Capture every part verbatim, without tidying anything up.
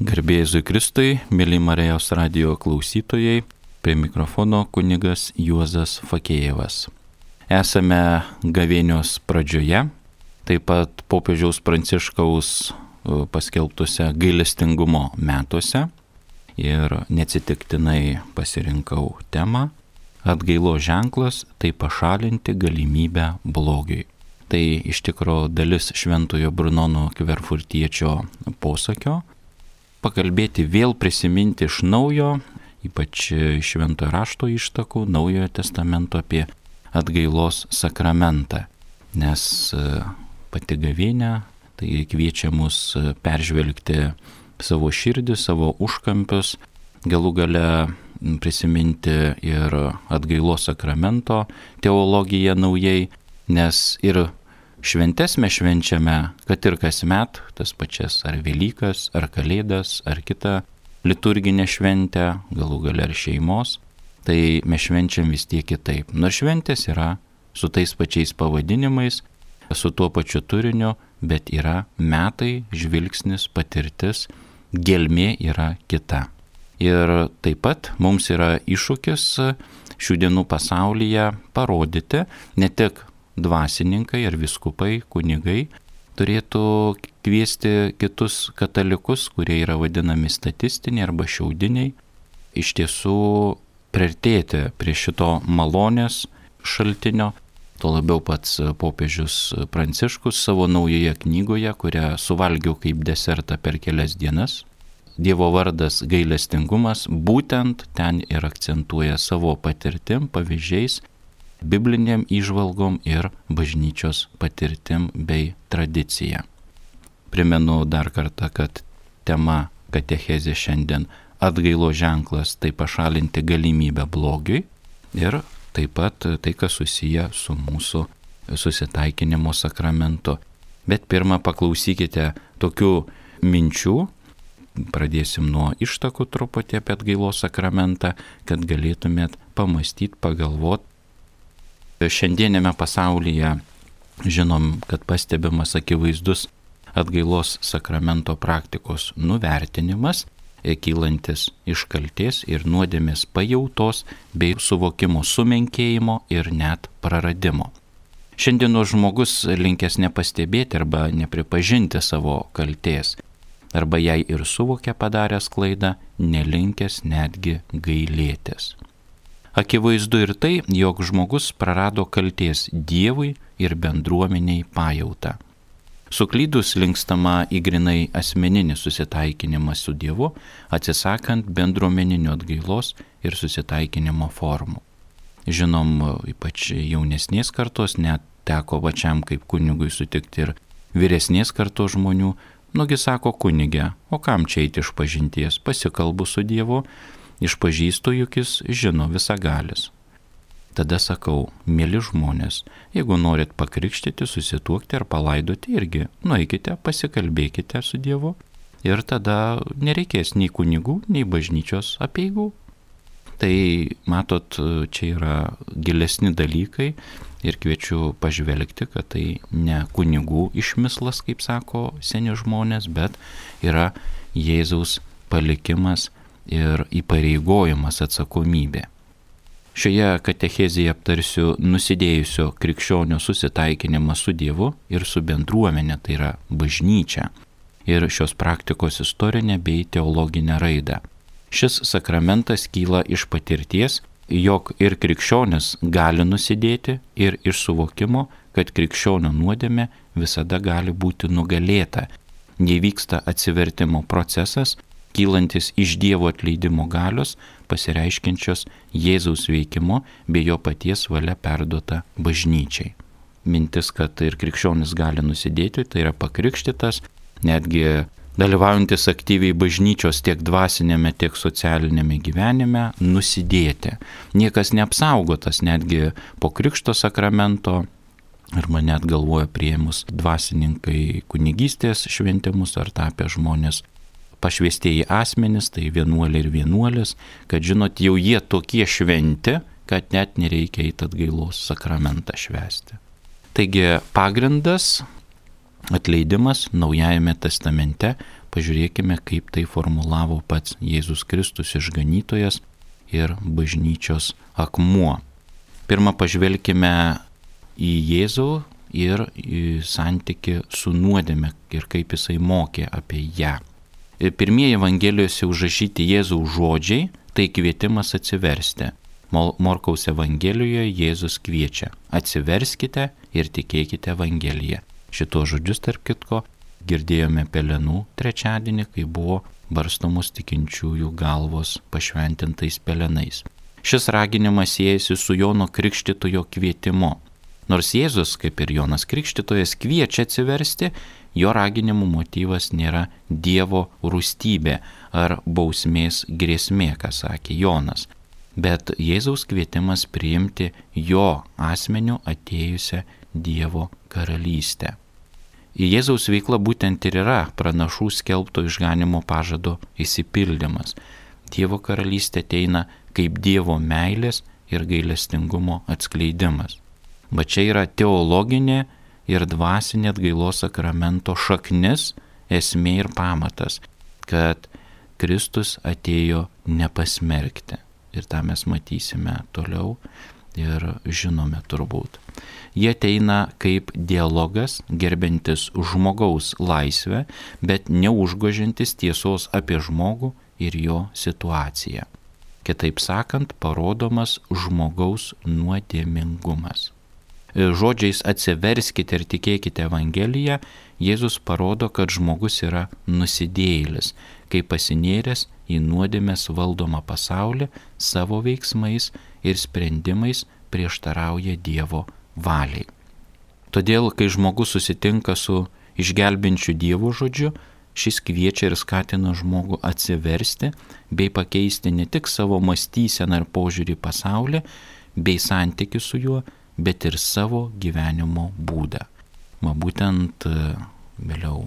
Garbė Jėzui Kristui, mėly Marijos radijo klausytojai, prie mikrofono kunigas Juozas Fakėjevas. Esame gavėnios pradžioje, taip pat popiežiaus Pranciškaus paskelbtuose gailestingumo metuose ir neatsitiktinai pasirinkau temą atgailos ženklas - tai pašalinti galimybę blogiui. Tai iš tikro dalis šventojo Brunono Kverfurtiečio posakio. Pakalbėti vėl prisiminti iš naujo, ypač šventojo rašto ištakų, Naujojo testamento apie atgailos sakramentą. Nes pati gavėnia tai kviečia mus peržvelgti savo širdį, savo užkampius, galų gale prisiminti ir atgailos sakramento teologiją naujai, nes ir šventes mes švenčiame, kad ir kasmet, tas pačias ar Velykas, ar Kalėdas, ar kitą liturginę šventę, galų gale ar šeimos, tai mes švenčiam vis tiek kitaip. Nors šventės yra su tais pačiais pavadinimais, su tuo pačiu turiniu, bet yra metai, žvilgsnis, patirtis, gelmė yra kita. Ir taip pat mums yra iššūkis šių dienų pasaulyje parodyti, ne tik dvasininkai ar vyskupai, kunigai turėtų kviesti kitus katalikus, kurie yra vadinami statistiniai arba šiaudiniai, iš tiesų priartėti prie šito malonės šaltinio. Tuo labiau pats popiežius Pranciškus savo naujoje knygoje, kurią suvalgiau kaip desertą per kelias dienas, Dievo vardas gailestingumas, būtent ten ir akcentuoja savo patirtim, pavyzdžiais, bibliniam įžvalgom ir bažnyčios patirtim bei tradicija. Primenu dar kartą, kad tema katechezė šiandien atgailos ženklas - tai pašalinti galimybę blogiui ir taip pat tai, kas susiję su mūsų susitaikinimo sakramentu. Bet pirmą paklausykite tokių minčių, pradėsim nuo ištakų truputį apie atgailos sakramentą, kad galėtumėt pamastyti, pagalvoti. Šiandienėme pasaulyje žinom, kad pastebimas akivaizdus atgailos sakramento praktikos nuvertinimas, kylantis iš kaltės ir nuodėmės pajautos bei suvokimo sumenkėjimo ir net praradimo. Šiandienos žmogus linkęs nepastebėti arba nepripažinti savo kaltės, arba jei ir suvokia padaręs klaidą, nelinkęs netgi gailėtis. Akivaizdu ir tai, jog žmogus prarado kaltės Dievui ir bendruomeniai pajautą. Suklydus linkstama į grinai asmeninį susitaikinimą su Dievu, atsisakant bendruomeninio atgailos ir susitaikinimo formų. Žinom, ypač jaunesnės kartos, net teko pačiam kaip kunigui sutikti ir vyresnės kartos žmonių, nugi sako kunige, o kam čia eiti iš pažinties, pasikalbu su Dievu, išpažįstu, juk jis žino visagalis. Tada sakau, mėly žmonės, jeigu norit pakrikštyti, susituokti ar palaidoti, irgi nueikite, pasikalbėkite su Dievu ir tada nereikės nei kunigų, nei bažnyčios apeigų. Tai matot, čia yra gilesni dalykai ir kviečiu pažvelgti, kad tai ne kunigų išmislas, kaip sako seni žmonės, bet yra Jėzaus palikimas ir įpareigojimas, atsakomybė. Šioje katechezėje aptarsiu nusidėjusio krikščionio susitaikinimą su Dievu ir su bendruomenė, tai yra bažnyčia, ir šios praktikos istorinę bei teologinę raidą. Šis sakramentas kyla iš patirties, jog ir krikščionis gali nusidėti, ir iš suvokimo, kad krikščionio nuodėmė visada gali būti nugalėta. Nevyksta atsivertimo procesas, kylantis iš Dievo atleidimo galios, pasireiškiančios Jėzaus veikimu bei jo paties valia perduota bažnyčiai. Mintis, kad ir krikščionis gali nusidėti, tai yra pakrikštytas, netgi dalyvaujantis aktyviai bažnyčios tiek dvasinėme, tiek socialinėme gyvenime, nusidėti. Niekas neapsaugotas, netgi po krikšto sakramento, arba net galvoja priėmus dvasininkai kunigystės šventimus ar tapę žmonės pašvestieji asmenys, tai vienuoliai ir vienuolės, kad žinot, jau jie tokie šventi, kad net nereikia eiti atgailos sakramentą švęsti. Taigi pagrindas Atleidimas Naujajame testamente, pažiūrėkime, kaip tai formulavo pats Jėzus Kristus išganytojas ir bažnyčios akmuo. Pirmą pažvelkime į Jėzų ir į santykį su nuodėme ir kaip jisai mokė apie ją. Pirmieji Evangelijose užrašyti Jėzaus žodžiai – tai kvietimas atsiversti. Morkaus Evangelijoje Jėzus kviečia: atsiverskite ir tikėkite Evangeliją. Šitos žodžius, tarp kitko, girdėjome Pelenų trečiadienį, kai buvo barstomos tikinčiųjų galvos pašventintais pelenais. Šis raginimas siejasi su Jono Krikštytojo kvietimu. Nors Jėzus, kaip ir Jonas Krikštytojas, kviečia atsiversti, jo raginimų motyvas nėra Dievo rūstybė ar bausmės grėsmė, ką sakė Jonas, bet Jėzaus kvietimas priimti jo asmeniu atėjusią Dievo karalystę. Į Jėzaus veiklą būtent ir yra pranašų skelbto išganimo pažado išsipildymas. Dievo karalystė ateina kaip Dievo meilės ir gailestingumo atskleidimas. Bet čia yra teologinė ir dvasinė atgailos sakramento šaknis, esmė ir pamatas, kad Kristus atėjo nepasmerkti. Ir tą mes matysime toliau ir žinome turbūt. Jie ateina kaip dialogas, gerbiantis žmogaus laisvę, bet neužgožiantis tiesos apie žmogų ir jo situaciją. Kitaip sakant, parodomas žmogaus nuodėmingumas. Žodžiais atsiverskite ir tikėkite Evangeliją, Jėzus parodo, kad žmogus yra nusidėjėlis, kai pasinėręs į nuodėmės valdomą pasaulį savo veiksmais ir sprendimais prieštarauja Dievo valiai. Todėl, kai žmogus susitinka su išgelbinčiu Dievo žodžiu, šis kviečia ir skatina žmogų atsiversti bei pakeisti ne tik savo mąstyseną ir požiūrį į pasaulį bei santykių su juo, bet ir savo gyvenimo būdą. Ma būtent vėliau,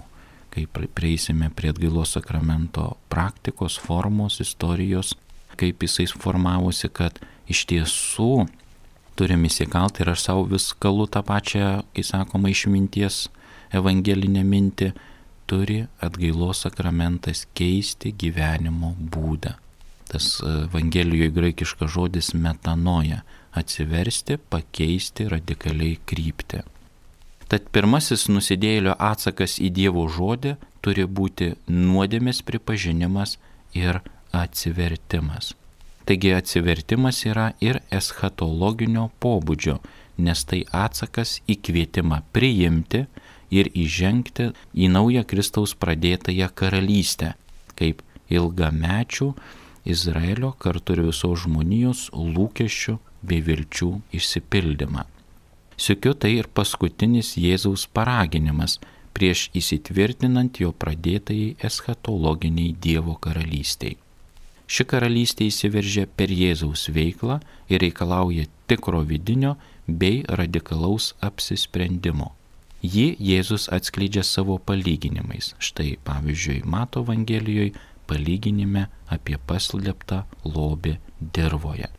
kai prieisime prie atgailos sakramento praktikos, formos, istorijos, kaip jisai formavosi, kad iš tiesų turim įsikalti ir aš savo vis kalu tą pačią, kai sakoma, išminties evangelinę mintį, turi atgailos sakramentas keisti gyvenimo būdą. Tas Evangelijoje graikiškas žodis metanoja – atsiversti, pakeisti, radikaliai krypti. Tad pirmasis nusidėjėlio atsakas į Dievo žodį turi būti nuodėmės pripažinimas ir atsivertimas. Taigi atsivertimas yra ir eschatologinio pobūdžio, nes tai atsakas į kvietimą priimti ir įžengti į naują Kristaus pradėtąją karalystę, kaip ilgamečių Izraelio kartu ir visos žmonijos lūkesčių bei vilčių išsipildymą. Sykiu tai ir paskutinis Jėzaus paraginimas prieš įsitvirtinant jo pradėtajai eschatologiniai Dievo karalystiai. Ši karalystė įsiveržia per Jėzaus veiklą ir reikalauja tikro vidinio bei radikalaus apsisprendimo. Jį Jėzus atskleidžia savo palyginimais. Štai pavyzdžiui, Mato Evangelijoje palyginime apie paslėptą lobį dirvoje.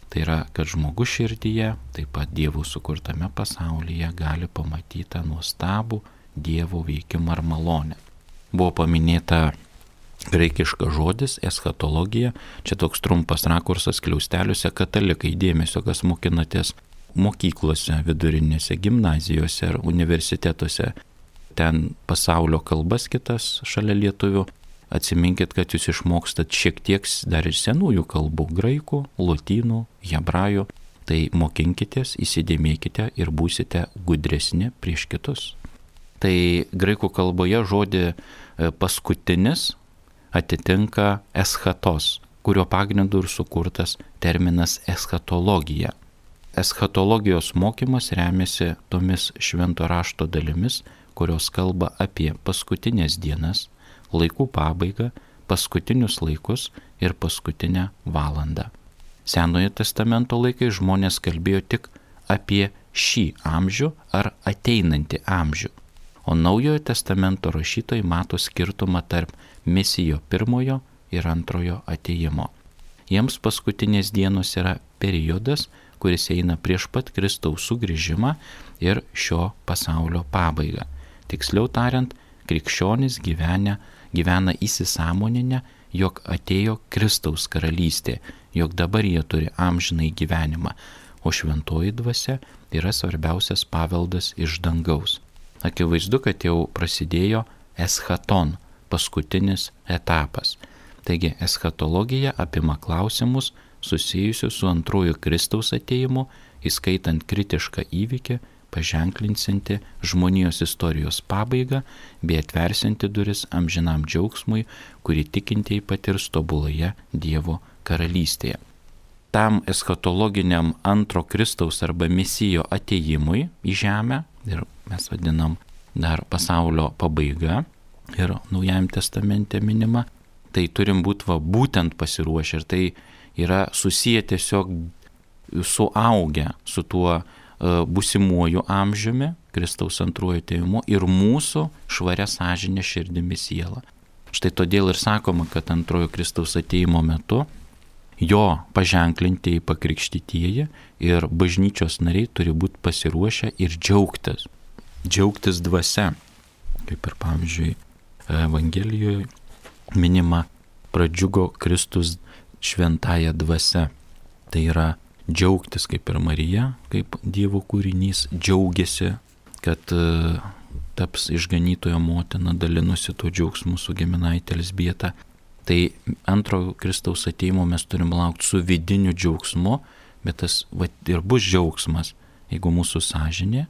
Tai yra, kad žmogus širdyje, taip pat Dievo sukurtame pasaulyje, gali pamatyti tą nuostabų Dievo veikimą ar malonę. Buvo paminėta graikiškas žodis eschatologija, čia toks trumpas rakursas kliausteliuose, katalikai dėmesio, kas mokinatės mokyklose, vidurinėse, gimnazijose ar universitetuose, ten pasaulio kalbas kitas šalia lietuvių. Atsiminkit, kad jūs išmokstat šiek tiek dar ir senųjų kalbų – graikų, lotynų, hebrajų. Tai mokinkitės, įsidėmėkite ir būsite gudresni prieš kitus. Tai graikų kalboje žodį paskutinis atitinka eschatos, kurio pagrindu ir sukurtas terminas eschatologija. Eschatologijos mokymas remiasi tomis švento rašto dalimis, kurios kalba apie paskutinės dienas, laikų pabaigą, paskutinius laikus ir paskutinę valandą. Senojo testamento laikai žmonės kalbėjo tik apie šį amžių ar ateinantį amžių, o Naujojo testamento rašytojai mato skirtumą tarp Mesijo pirmojo ir antrojo atėjimo. Jiems paskutinės dienos yra periodas, kuris eina prieš pat Kristaus sugrįžimą ir šio pasaulio pabaigą. Tiksliau tariant, krikščionys gyvena, gyvena įsisąmoninę, jog atėjo Kristaus karalystė, jog dabar jie turi amžinai gyvenimą, o šventoji dvasia yra svarbiausias paveldas iš dangaus. Akivaizdu, kad jau prasidėjo eschaton, paskutinis etapas. Taigi eschatologija apima klausimus susijusius su antruoju Kristaus atėjimu, įskaitant kritišką įvykį, paženklinsianti žmonijos istorijos pabaigą bei atversianti duris amžinam džiaugsmui, kurį tikintieji patirs tobuloje Dievo karalystėje. Tam eschatologiniam antro Kristaus arba Mesijo atėjimui į žemę, ir mes vadinam dar pasaulio pabaiga, ir Naujajame testamente minima, tai turim būti va būtent pasiruošę, ir tai yra susiję tiesiog suaugę su tuo būsimuoju amžiumi, Kristaus antruoju atėjimu ir mūsų švaria sąžinė širdimi siela. Štai todėl ir sakoma, kad antrojo Kristaus atėjimo metu jo paženklintieji pakrikštytieji ir bažnyčios nariai turi būti pasiruošę ir džiaugtis. Džiaugtis dvasia. Kaip ir pavyzdžiui Evangelijoje minima, pradžiugo Kristus šventąja dvasia. Tai yra džiaugtis kaip ir Marija, kaip Dievo kūrinys džiaugiasi, kad uh, taps išganytojo motina, dalinusi tuo džiaugsmu su giminaitė Elzbieta. Tai antro Kristaus atėjimo mes turim laukti su vidiniu džiaugsmu, bet tas va, ir bus džiaugsmas, jeigu mūsų sąžinė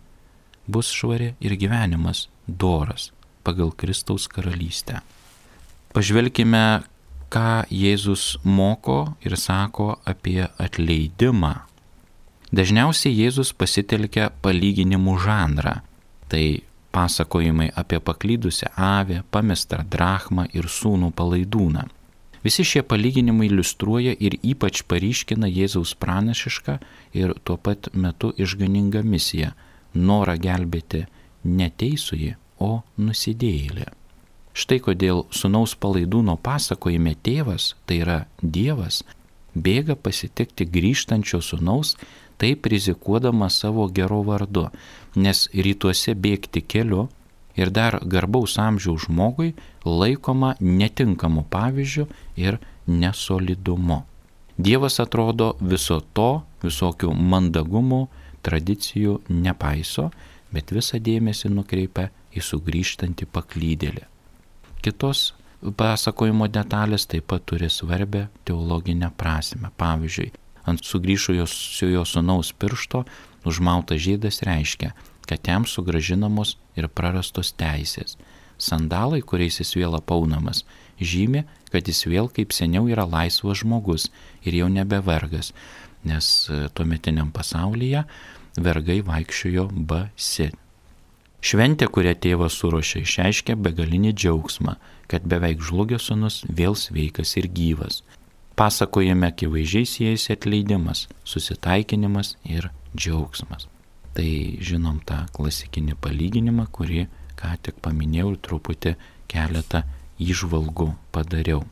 bus švari ir gyvenimas doras pagal Kristaus karalystę. Pažvelkime, ką Jėzus moko ir sako apie atleidimą. Dažniausiai Jėzus pasitelkia palyginimų žanrą. Tai pasakojimai apie paklydusią avį, pamestą drachmą ir sūnų palaidūną. Visi šie palyginimai iliustruoja ir ypač paryškina Jėzaus pranašišką ir tuo pat metu išganingą misiją – norą gelbėti ne teisųjį, o nusidėjėlį. Štai kodėl sūnaus palaidūno pasakojime tėvas, tai yra Dievas, bėga pasitikti grįžtančio sūnaus, taip rizikuodamas savo gero vardu, nes rytuose bėgti keliu ir dar garbaus amžiaus žmogui laikoma netinkamu pavyzdžiu ir nesolidumu. Dievas atrodo viso to, visokių mandagumų, tradicijų nepaiso, bet visą dėmesį nukreipia į sugrįžtantį paklydėlį. Kitos pasakojimo detalės taip pat turi svarbę teologinę prasmę. Pavyzdžiui, ant sugrįžusiojo sūnaus piršto užmautas žiedas reiškia, kad jam sugrąžinamos ir prarastos teisės. Sandalai, kuriais jis vėl apaunamas, žymi, kad jis vėl kaip seniau yra laisvas žmogus ir jau nebe vergas, nes tuometiniam pasaulyje vergai vaikščiojo basi. Šventė, kurią tėvas suruošė, išreiškia begalinį džiaugsmą, kad beveik žlugęs sūnus vėl sveikas ir gyvas. Pasakojame akivaizdžiai siejasi atleidimas, susitaikinimas ir džiaugsmas. Tai žinom tą klasikinį palyginimą, kurį ką tik paminėjau ir truputį keletą įžvalgų padariau.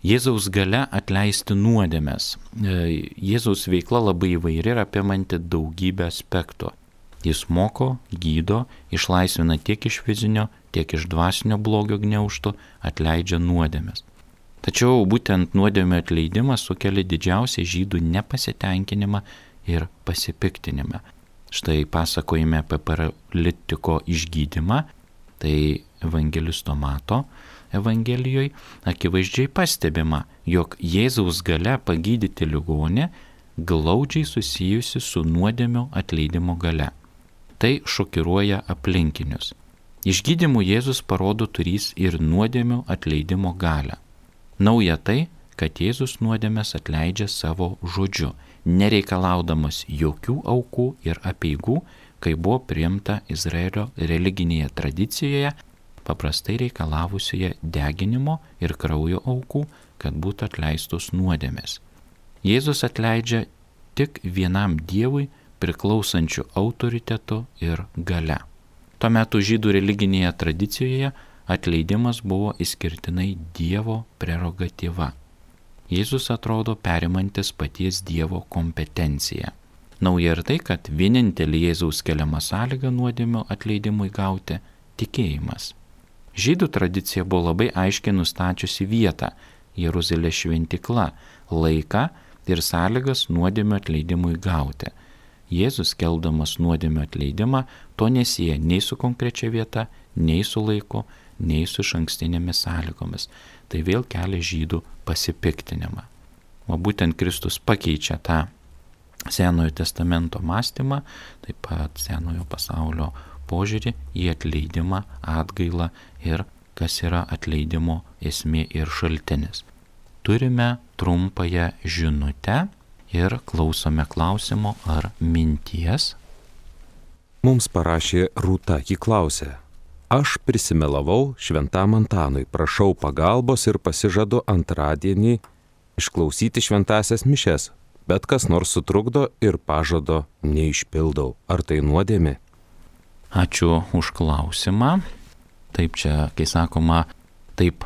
Jėzaus galia atleisti nuodėmes. Jėzaus veikla labai įvairi ir apimanti daugybę aspektų. Jis moko, gydo, išlaisvina tiek iš fizinio, tiek iš dvasinio blogio gniaužtų, atleidžia nuodėmes. Tačiau būtent nuodėmių atleidimas sukelia didžiausią žydų nepasitenkinimą ir pasipiktinimą. Štai pasakojime apie paralitiko išgydymą, tai evangelisto Mato Evangelijoje akivaizdžiai pastebima, jog Jėzaus galia pagydyti ligonį glaudžiai susijusi su nuodėmių atleidimo galia. Tai šokiruoja aplinkinius. Išgydymu Jėzus parodo turys ir nuodėmių atleidimo galią. Nauja tai, kad Jėzus nuodėmes atleidžia savo žodžiu, nereikalaudamas jokių aukų ir apeigų, kai buvo priimta Izraelio religinėje tradicijoje, paprastai reikalavusioje deginimo ir kraujo aukų, kad būtų atleistos nuodėmės. Jėzus atleidžia tik vienam Dievui priklausančių autoritetu ir galia. Tuo metu žydų religinėje tradicijoje atleidimas buvo išskirtinai Dievo prerogatyva. Jėzus atrodo perimantis paties Dievo kompetenciją. Nauja ir tai, kad vienintelį Jėzaus keliamą sąlygą nuodėmių atleidimui gauti tikėjimas. Žydų tradicija buvo labai aiškiai nustačiusi vietą – Jeruzalės šventykla, laiką ir sąlygas nuodėmio atleidimui gauti. Jėzus, skelbdamas nuodėmio atleidimą, to nesieja nei su konkrečia vieta, nei su laiku, nei su išankstinėmis sąlygomis. Tai vėl kelia žydų pasipiktinimą. O būtent Kristus pakeičia tą Senojo testamento mąstymą, taip pat Senojo pasaulio požiūrį į atleidimą, atgailą ir kas yra atleidimo esmė ir šaltinis. Turime trumpąją žinutę ir klausome klausimo ar minties. Mums parašė Rūta, ji klausė: Aš prisimelavau šventam Antanui, prašau pagalbos ir pasižadu antradienį išklausyti šventąsias mišias, bet kas nors sutrukdo ir pažado neišpildau. Ar tai nuodėmė? Ačiū už klausimą. Taip čia, kai sakoma, taip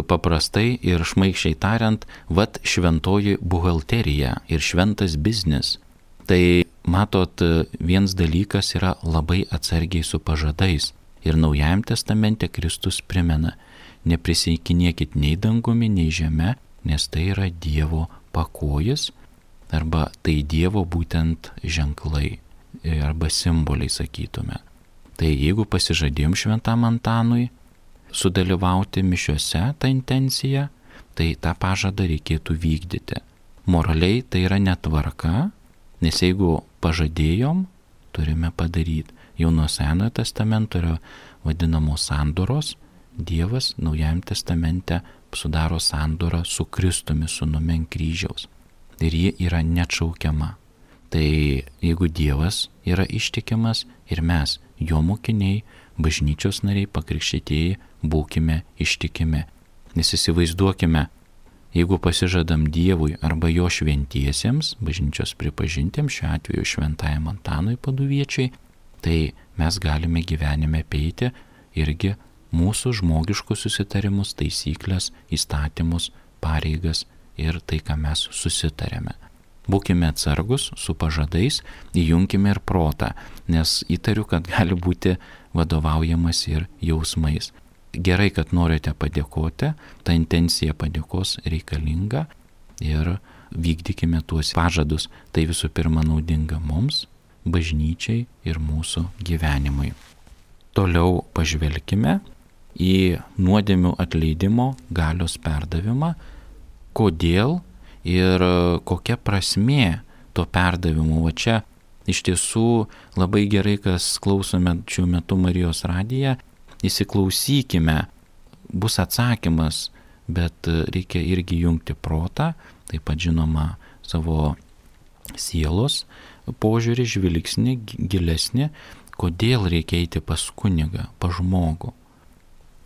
paprastai ir šmaikščiai tariant, vat šventoji buhalterija ir šventas biznis. Tai matot, vienas dalykas yra labai atsargiai su pažadais. Ir Naujajam testamente Kristus primena, neprisiekinėkit nei dangumi, nei žeme, nes tai yra Dievo pakojis, arba tai Dievo būtent ženklai, arba simboliai sakytume. Tai jeigu pasižadėjom šventam Antanui sudalyvauti mišiuose tą intenciją, tai tą pažadą reikėtų vykdyti. Moraliai tai yra netvarka, nes jeigu pažadėjom, turime padaryti. Jau nuo Senojo testamento yra vadinamos sandoros. Dievas Naujajam testamente sudaro sandorą su Kristumi, sūnumi ant kryžiaus. Ir ji yra neatšaukiama. Tai jeigu Dievas yra ištikimas ir mes, jo mokiniai, bažnyčios nariai, pakrikštytieji, būkime ištikimi. Nes įsivaizduokime, jeigu pasižadam Dievui arba jo šventiesiems, bažnyčios pripažintiems, šiuo atveju šventajam Antanui Paduviečiui, tai mes galime gyvenime apeiti irgi mūsų žmogiškus susitarimus, taisyklės, įstatymus, pareigas ir tai, ką mes susitarėme. Būkime atsargus su pažadais, įjunkime ir protą, nes įtariu, kad gali būti vadovaujamas ir jausmais. Gerai, kad norite padėkoti, ta intencija padėkos reikalinga ir vykdykime tuos pažadus. Tai visų pirma naudinga mums, bažnyčiai ir mūsų gyvenimui. Toliau pažvelkime į nuodėmių atleidimo galios perdavimą, kodėl ir kokia prasmė to perdavimo. O čia iš tiesų labai gerai, kas klausome šiuo metu Marijos radiją, įsiklausykime, bus atsakymas, bet reikia irgi jungti protą, taip pat žinoma savo sielos požiūrį, žvilgsnį, gilesnį, kodėl reikia eiti pas kunigą, pas žmogų.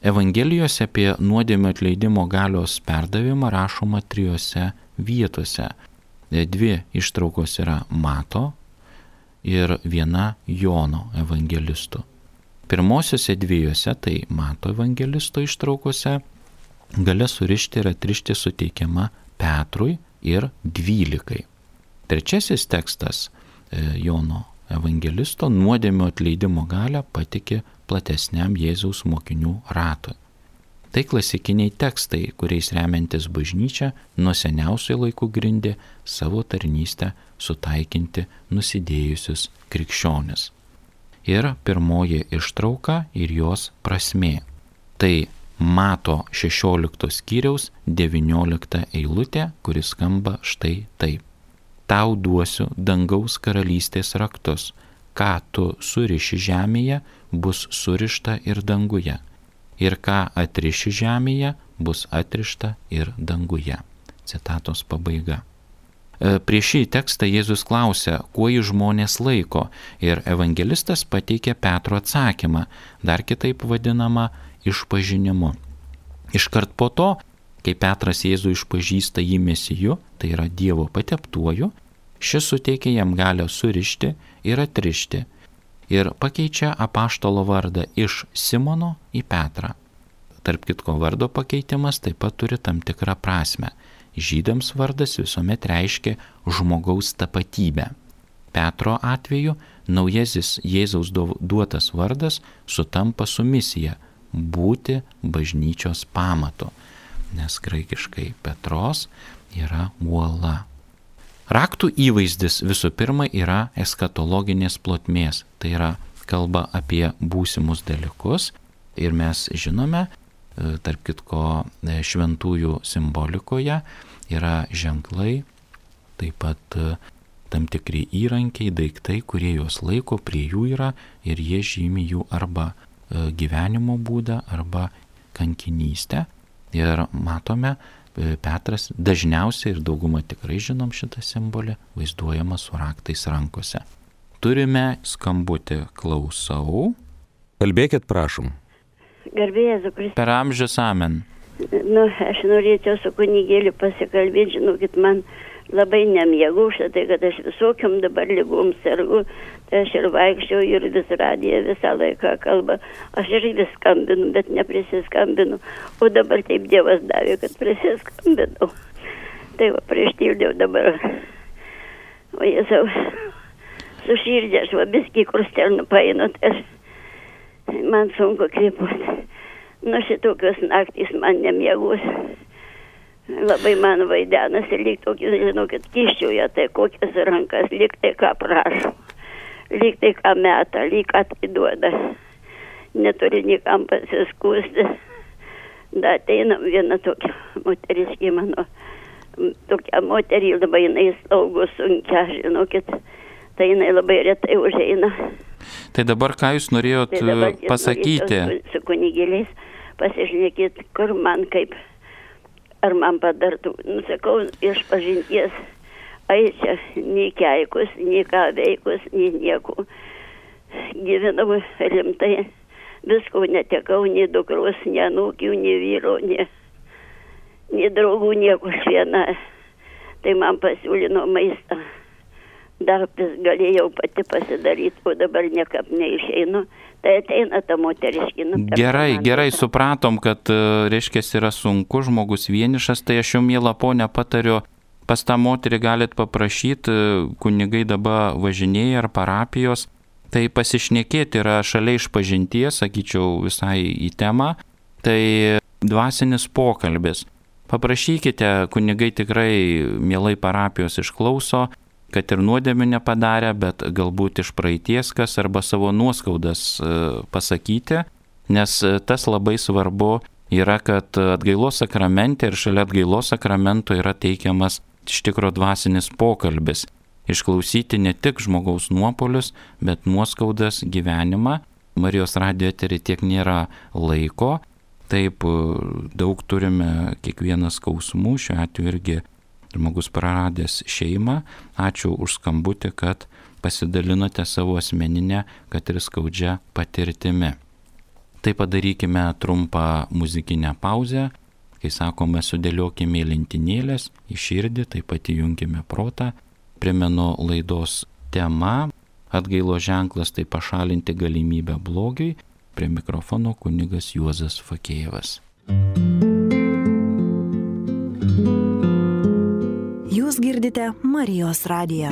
Evangelijose apie nuodėmių atleidimo galios perdavimą rašoma trijose vietose. Dvi ištraukos yra Mato ir viena Jono evangelistų. Pirmosiose dviejose, tai Mato evangelisto ištraukose, galia surišti ir atrišti suteikiama Petrui ir dvylikai. Trečiasis tekstas Jono evangelisto nuodėmių atleidimo galią patikė platesniam Jėzaus mokinių ratui. Tai klasikiniai tekstai, kuriais remiantis bažnyčia nuo seniausių laikų grindė savo tarnystę sutaikinti nusidėjusius krikščionis. Ir pirmoji ištrauka ir jos prasmė. Tai Mato šešiolikto skyriaus devyniolikta eilutė, kuris skamba štai taip. Tau duosiu dangaus karalystės raktus, ką tu suriši žemėje, bus surišta ir danguje, ir ką atriši žemėje, bus atrišta ir danguje. Citatos pabaiga. Prieš šį tekstą Jėzus klausia, kuo jį žmonės laiko, ir evangelistas pateikia Petro atsakymą, dar kitaip vadinamą išpažinimu. Iškart po to, kai Petras Jėzų išpažįsta jį Mesiju, tai yra Dievo pateptuoju, šis suteikia jam galią surišti ir atrišti ir pakeičia apaštalo vardą iš Simono į Petrą. Tarp kitko, vardo pakeitimas taip pat turi tam tikrą prasmę. Žydams vardas visuomet reiškia žmogaus tapatybę. Petro atveju naujasis Jėzaus duotas vardas sutampa su misija būti bažnyčios pamatu, nes graikiškai Petros yra uola. Raktų įvaizdis visų pirma yra eskatologinės plotmės, tai yra kalba apie būsimus dalykus ir mes žinome, tarp kitko šventųjų simbolikoje yra ženklai, taip pat tam tikri įrankiai, daiktai, kurie juos laiko, prie jų yra ir jie žymi jų arba gyvenimo būdą, arba kankinystę. Ir matome, Petras dažniausiai ir daugumą tikrai žinom šitą simbolį, vaizduojama su raktais rankose. Turime skambutį, klausau. Kalbėkit, prašom. Garbė Jėzų Kristų. Per amžius amen. Nu, aš norėčiau su kunigėliu pasikalbėti, žinokit, man labai nemiegu šitai, kad aš visokiam dabar lygom sergu, tai aš ir vaikščiau ir vis radiją visą laiką kalba. Aš ir vis skambinu, bet neprisiskambinu. O dabar taip Dievas davė, kad prisiskambinau. Tai va, prieštildėjau dabar. O Jėzau, su širdė aš va biskį krustelnų painu, tai aš, man sunku kvėpuoti. Nu šitokios naktys man nemiegos. Labai man vaidenasi, lyg tokį, žinokit, kiščiuoja, tai kokias rankas, lyg tai ką prašo, lyg tai ką meta, lyg ką tai duoda. Neturi nikam pasiskūsti. Da ateina viena tokia moteriškė mano, tokia moterį labai jinai slaugo sunkia, žinokit, tai jinai labai retai užeina. Tai dabar ką jūs norėjot tai dabar, pasakyti? Su, su kunigėliais pasišnekėti, kur man kaip... Ar man padartų, nusakau, iš pažinties, ai čia, nei keikus, nei ką veikus, nei nieko. Gyvenau rimtai, visko netekau, nei dukros, nei anūkių, nei vyro, nei, nei draugų, nieko viena. Tai man pasiūlino maistą. Darbas galėjau pati pasidaryti, o dabar niekap neišeinu. Tai ateina ta moteriškina. Gerai, gerai, supratom, kad, reiškia, yra sunku, žmogus vienišas, tai aš jau, miela ponia, patariu, pas tą moterį galit paprašyti, kunigai dabar važinėja ar parapijos, tai pasišnekėti yra šalia išpažinties, sakyčiau, visai į temą, tai dvasinis pokalbis. Paprašykite, kunigai tikrai mielai parapijos išklauso, kad ir nuodėmių nepadarė, bet galbūt iš praeities kas arba savo nuoskaudas pasakyti, nes tas labai svarbu yra, kad atgailos sakramente ir šalia atgailos sakramento yra teikiamas iš tikro dvasinis pokalbis. Išklausyti ne tik žmogaus nuopolius, bet nuoskaudas, gyvenimą. Marijos radijo etery tiek nėra laiko, taip daug turime kiekvienas skausmų, šiuo atveju irgi žmogus praradęs šeimą. Ačiū už skambutį, kad pasidalinote savo asmeninę, kad ir skaudžią patirtimi. Tai padarykime trumpą muzikinę pauzę. Kai sakome, sudėliokime lentynėlės į širdį, taip pat įjunkime protą. Primenu laidos tema atgailo ženklas, tai pašalinti galimybę blogiui. Prie mikrofono kunigas Juozas Fakėjevas. Jūs girdite Marijos radiją.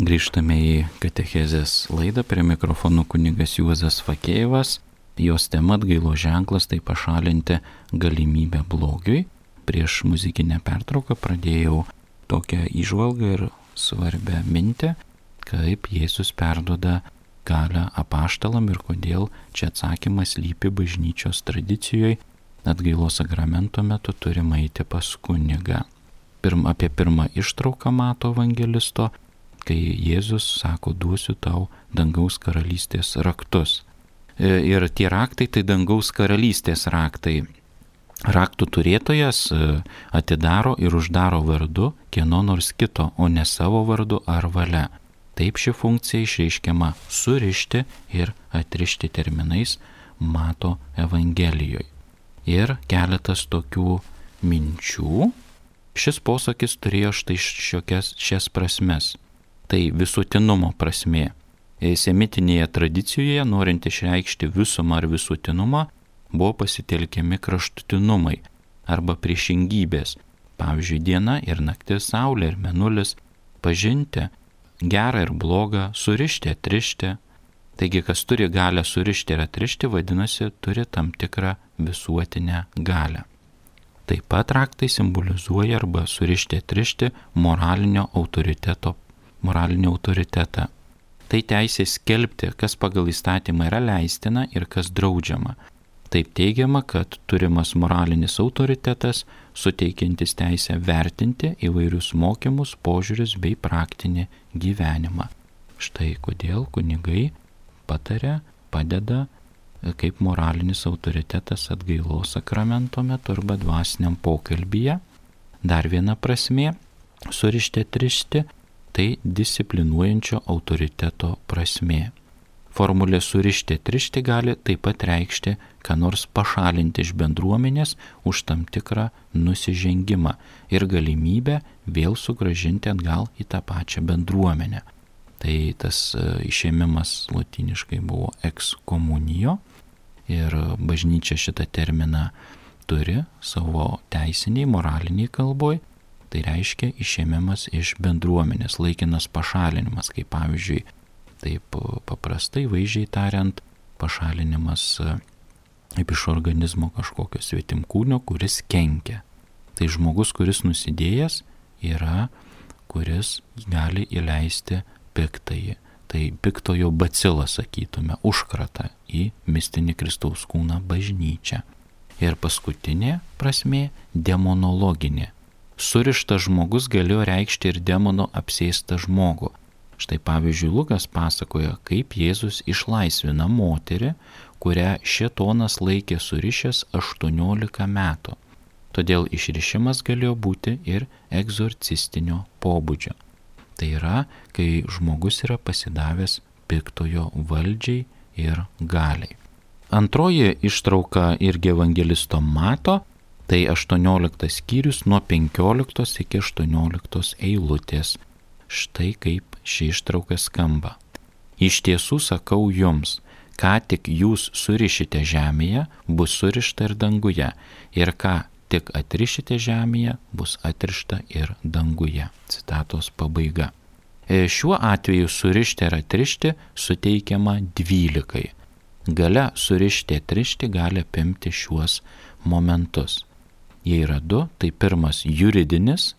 Grįžtame į katechezės laidą, prie mikrofonų kunigas Juozas Fakėjevas. Jos tema atgailos ženklas, tai pašalinti galimybę blogiui. Prieš muzikinę pertrauką pradėjau tokią įžvalgą ir svarbę mintį, kaip Jėzus perduoda galią apaštalam ir kodėl čia atsakymas lypi bažnyčios tradicijoje. Atgailos sakramento metu turime eiti pas kunigą. Pirm, apie pirmą ištrauką Mato evangelisto, kai Jėzus sako, duosiu tau dangaus karalystės raktus. Ir tie raktai tai dangaus karalystės raktai. Raktų turėtojas atidaro ir uždaro vardu kieno nors kito, o ne savo vardu ar valia. Taip ši funkcija išreiškiama surišti ir atrišti terminais Mato evangelijoje. Ir keletas tokių minčių. Šis posakis turėjo štai šiokias šias prasmes. Tai visuotinumo prasmė. Semitinėje tradicijoje, norint išreikšti visumą ar visuotinumą, buvo pasitelkiami kraštutinumai arba priešingybės. Pavyzdžiui, diena ir naktis, saulė ir mėnulis, pažinti gerą ir blogą, surišti, atrišti. Taigi, kas turi galią surišti ir atrišti, vadinasi, turi tam tikrą visuotinę galią. Taip pat raktai simbolizuoja arba surišti, atrišti moralinio autoriteto moralinį autoritetą. Tai teisė skelbti, kas pagal įstatymą yra leistina ir kas draudžiama. Taip teigiama, kad turimas moralinis autoritetas, suteikiantis teisę vertinti įvairius mokymus, požiūrius bei praktinį gyvenimą. Štai kodėl kunigai pataria, padeda kaip moralinis autoritetas atgailos sakramento metu arba dvasiniam pokalbyje. Dar viena prasmė - surišti, atrišti. Tai disciplinuojančio autoriteto prasmė. Formulė surišti, atrišti gali taip pat reikšti, ką nors pašalinti iš bendruomenės už tam tikrą nusižengimą ir galimybę vėl sugrąžinti atgal į tą pačią bendruomenę. Tai tas išėmimas lotyniškai buvo exkomunijo ir bažnyčia šitą terminą turi savo teisiniai, moraliniai kalboj. Tai reiškia išėmimas iš bendruomenės, laikinas pašalinimas, kaip pavyzdžiui, taip paprastai, vaizdžiai tariant, pašalinimas kaip iš organizmo kažkokio svetimkūnio, kuris kenkia. Tai žmogus, kuris nusidėjęs, yra, kuris gali įleisti piktąjį. Tai piktojo bacilą, sakytume, užkratą į mistinį Kristaus kūną bažnyčią. Ir paskutinė prasmė - demonologinė. Surištas žmogus galėjo reikšti ir demono apsėstą žmogų. Štai pavyzdžiui, Lukas pasakoja, kaip Jėzus išlaisvina moterį, kurią šėtonas laikė surišęs aštuoniolika metų. Todėl išrišimas galėjo būti ir egzorcistinio pobūdžio. Tai yra, kai žmogus yra pasidavęs piktojo valdžiai ir galiai. Antroji ištrauka irgi evangelisto Mato. Tai aštuonioliktas skyrius nuo penkioliktos iki aštuonioliktos eilutės. Štai kaip ši ištrauka skamba. Iš tiesų sakau jums, ką tik jūs surišite žemėje, bus surišta ir danguje, ir ką tik atrišite žemėje, bus atrišta ir danguje. Citatos pabaiga. Šiuo atveju surišti ir atrišti suteikiama dvylikai. Galia surišti, atrišti gali apimti šiuos momentus. Jie yra du, tai pirmas juridinis.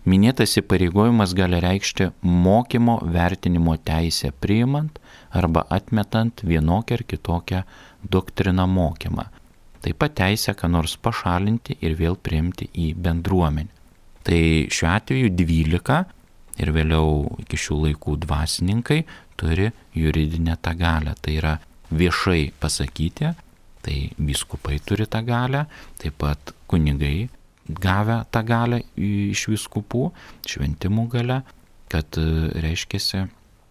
Minėtas įpareigojimas gali reikšti mokymo vertinimo teisę priimant arba atmetant vienokią ar kitokią doktriną mokymą. Taip pat teisę ką nors pašalinti ir vėl priimti į bendruomenę. Tai šiuo atveju dvylika ir vėliau iki šių laikų dvasininkai turi juridinę tą galią. Tai yra viešai pasakyti. Tai vyskupai turi tą galią, taip pat kunigai gavę tą galią iš vyskupų, šventimų galią, kad reiškiasi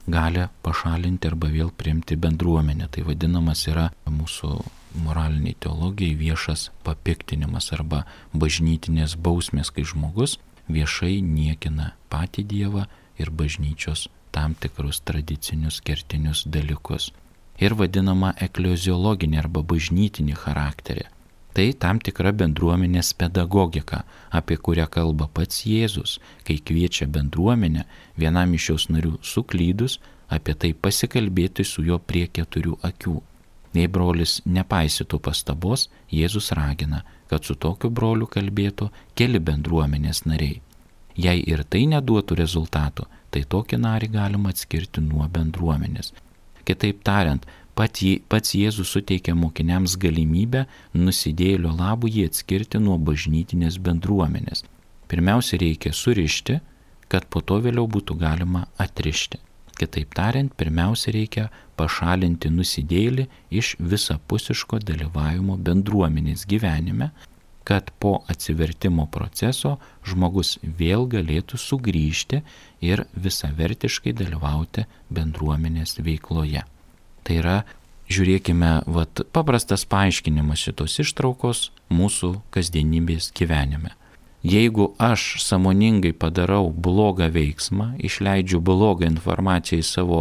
gali pašalinti arba vėl priimti bendruomenę. Tai vadinamas yra mūsų moraliniai teologijai viešas papiktinimas arba bažnytinės bausmės, kai žmogus viešai niekina patį Dievą ir bažnyčios tam tikrus tradicinius kertinius dalykus. Ir vadinama ekleziologinė arba bažnytinė charakterė. Tai tam tikra bendruomenės pedagogika, apie kurią kalba pats Jėzus, kai kviečia bendruomenę vienam iš jos narių suklydus, apie tai pasikalbėti su juo prie keturių akių. Jei brolis nepaisytų pastabos, Jėzus ragina, kad su tokiu broliu kalbėtų keli bendruomenės nariai. Jei ir tai neduotų rezultatų, tai tokį narį galima atskirti nuo bendruomenės. Kitaip tariant, pats Jėzus suteikia mokiniams galimybę nusidėjėlio labui jį atskirti nuo bažnytinės bendruomenės. Pirmiausia, reikia surišti, kad po to vėliau būtų galima atrišti. Kitaip tariant, pirmiausia, reikia pašalinti nusidėjėlį iš visapusiško dalyvavimo bendruomenės gyvenime, kad po atsivertimo proceso žmogus vėl galėtų sugrįžti ir visavertiškai dalyvauti bendruomenės veikloje. Tai yra, žiūrėkime, vat, paprastas paaiškinimas šitos ištraukos mūsų kasdienybės gyvenime. Jeigu aš sąmoningai padarau blogą veiksmą, išleidžiu blogą informaciją į savo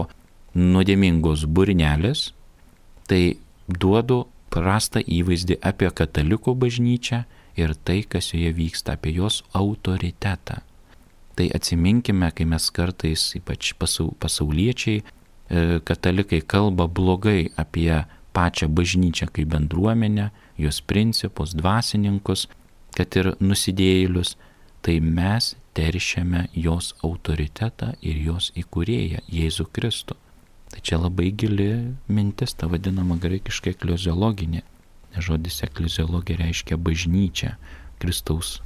nuodėmingos burnelės, tai duodu prastą įvaizdį apie katalikų bažnyčią ir tai, kas joje vyksta, apie jos autoritetą. Tai atsiminkime, kai mes kartais, ypač pasauliečiai, katalikai kalba blogai apie pačią bažnyčią kaip bendruomenę, jos principus, dvasininkus, kad ir nusidėjėlius, tai mes teršiame jos autoritetą ir jos įkūrėją, Jėzų Kristų. Tai čia labai gili mintis, ta vadinama graikiškai ekleziologinė. Žodis ekleziologija reiškia bažnyčią, Kristaus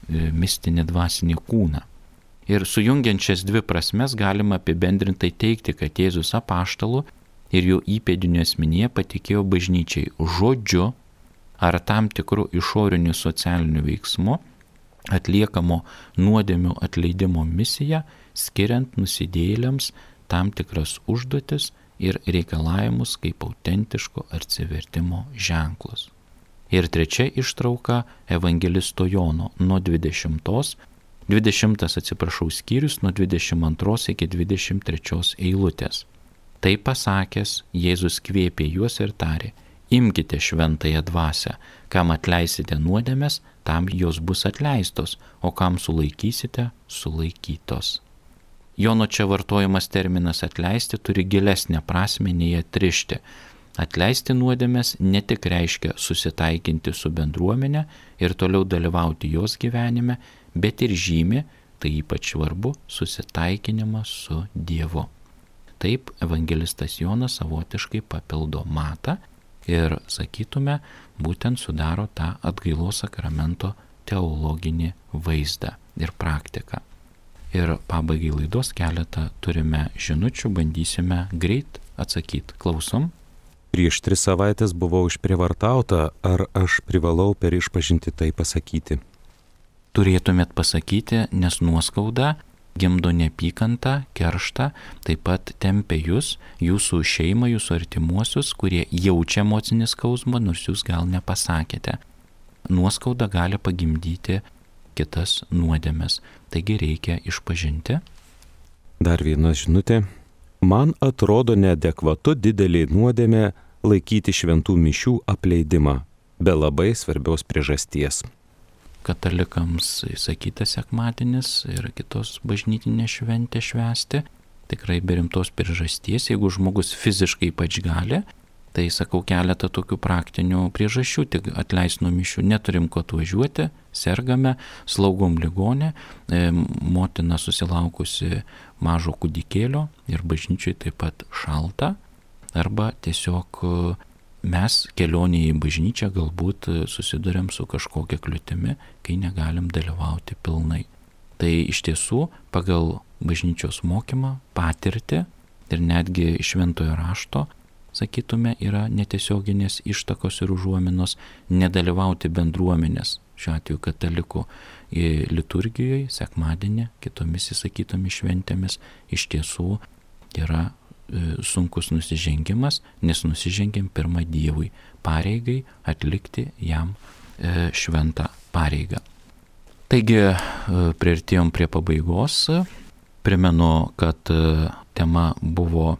mistinį dvasinį kūną. Ir sujungiant šias dvi prasmes galima apibendrintai teikti, kad Jėzus apaštalų ir jo įpėdinių asmenyje patikėjo bažnyčiai žodžiu ar tam tikrų išorinių socialinių veiksmų atliekamo nuodėmių atleidimo misiją, skiriant nusidėjėliams tam tikras užduotis ir reikalavimus kaip autentiško atsivertimo ženklus. Ir trečia ištrauka evangelisto Jono nuo dvidešimtos dvidešimtas atsiprašau skyrius nuo dvidešimt antros iki dvidešimt trečios eilutės. Tai pasakęs, Jėzus kvėpė juos ir tarė: imkite šventąją dvasią, kam atleisite nuodėmes, tam jos bus atleistos, o kam sulaikysite, sulaikytos. Jono čia vartojamas terminas atleisti turi gilesnę prasmę nei atrišti. Atleisti nuodėmes ne tik reiškia susitaikinti su bendruomenė ir toliau dalyvauti jos gyvenime, bet ir žymi, tai ypač svarbu, susitaikinimą su Dievu. Taip evangelistas Jonas savotiškai papildo Matą ir, sakytume, būtent sudaro tą atgailos sakramento teologinį vaizdą ir praktiką. Ir pabaigai laidos keletą turime žinučių, bandysime greit atsakyti. Klausom. Prieš tris savaitės buvau išprievartauta, ar aš privalau per išpažinti tai pasakyti? Turėtumėt pasakyti, nes nuoskauda gimdo neapykantą, kerštą, taip pat tempia jūs, jūsų šeimą, jūsų artimuosius, kurie jaučia emocinį skausmą, nors jūs gal nepasakėte. Nuoskauda gali pagimdyti kitas nuodėmes, taigi reikia išpažinti. Dar viena žinutė. Man atrodo neadekvatu didelė nuodėmė laikyti šventų mišių apleidimą, be labai svarbios priežasties. Katalikams įsakyta sekmadienis ir kitos bažnytinės šventės švęsti, tikrai be rimtos priežasties, jeigu žmogus fiziškai ypač gali, tai sakau keletą tokių praktinių priežasčių, tik atleis nuo mišių, neturim ko atvažiuoti, sergame, slaugom ligonę, e, motina susilaukusi mažo kūdikėlio ir bažnyčiai taip pat šalta, arba tiesiog mes kelionėje į bažnyčią galbūt susidurėm su kažkokia kliūtimi, kai negalim dalyvauti pilnai. Tai iš tiesų pagal bažnyčios mokymą, patirtį ir netgi iš šventojo rašto, sakytume, yra netiesioginės ištakos ir užuominos nedalyvauti bendruomenės, šiuo atveju katalikų liturgijoje, sekmadienį, kitomis įsakytomis šventėmis, iš tiesų yra sunkus nusižengimas, nes nusižengėm pirmą Dievui pareigai atlikti jam šventą pareigą. Taigi, priartėjom prie pabaigos. Primenu, kad tema buvo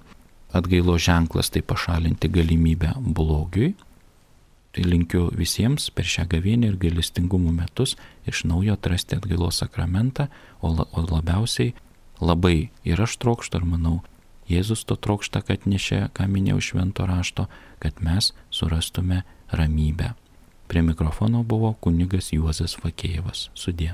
atgailo ženklas, tai pašalinti galimybę blogiui. Tai linkiu visiems per šią gavėnią ir gailestingumo metus iš naujo atrasti atgailos sakramentą, o, la, o labiausiai labai ir aš trokštu, ir manau, Jėzus to trokšta, kad nešė, ką minėjau švento rašto, kad mes surastume ramybę. Prie mikrofono buvo kunigas Juozas Fakėjevas. Sudie.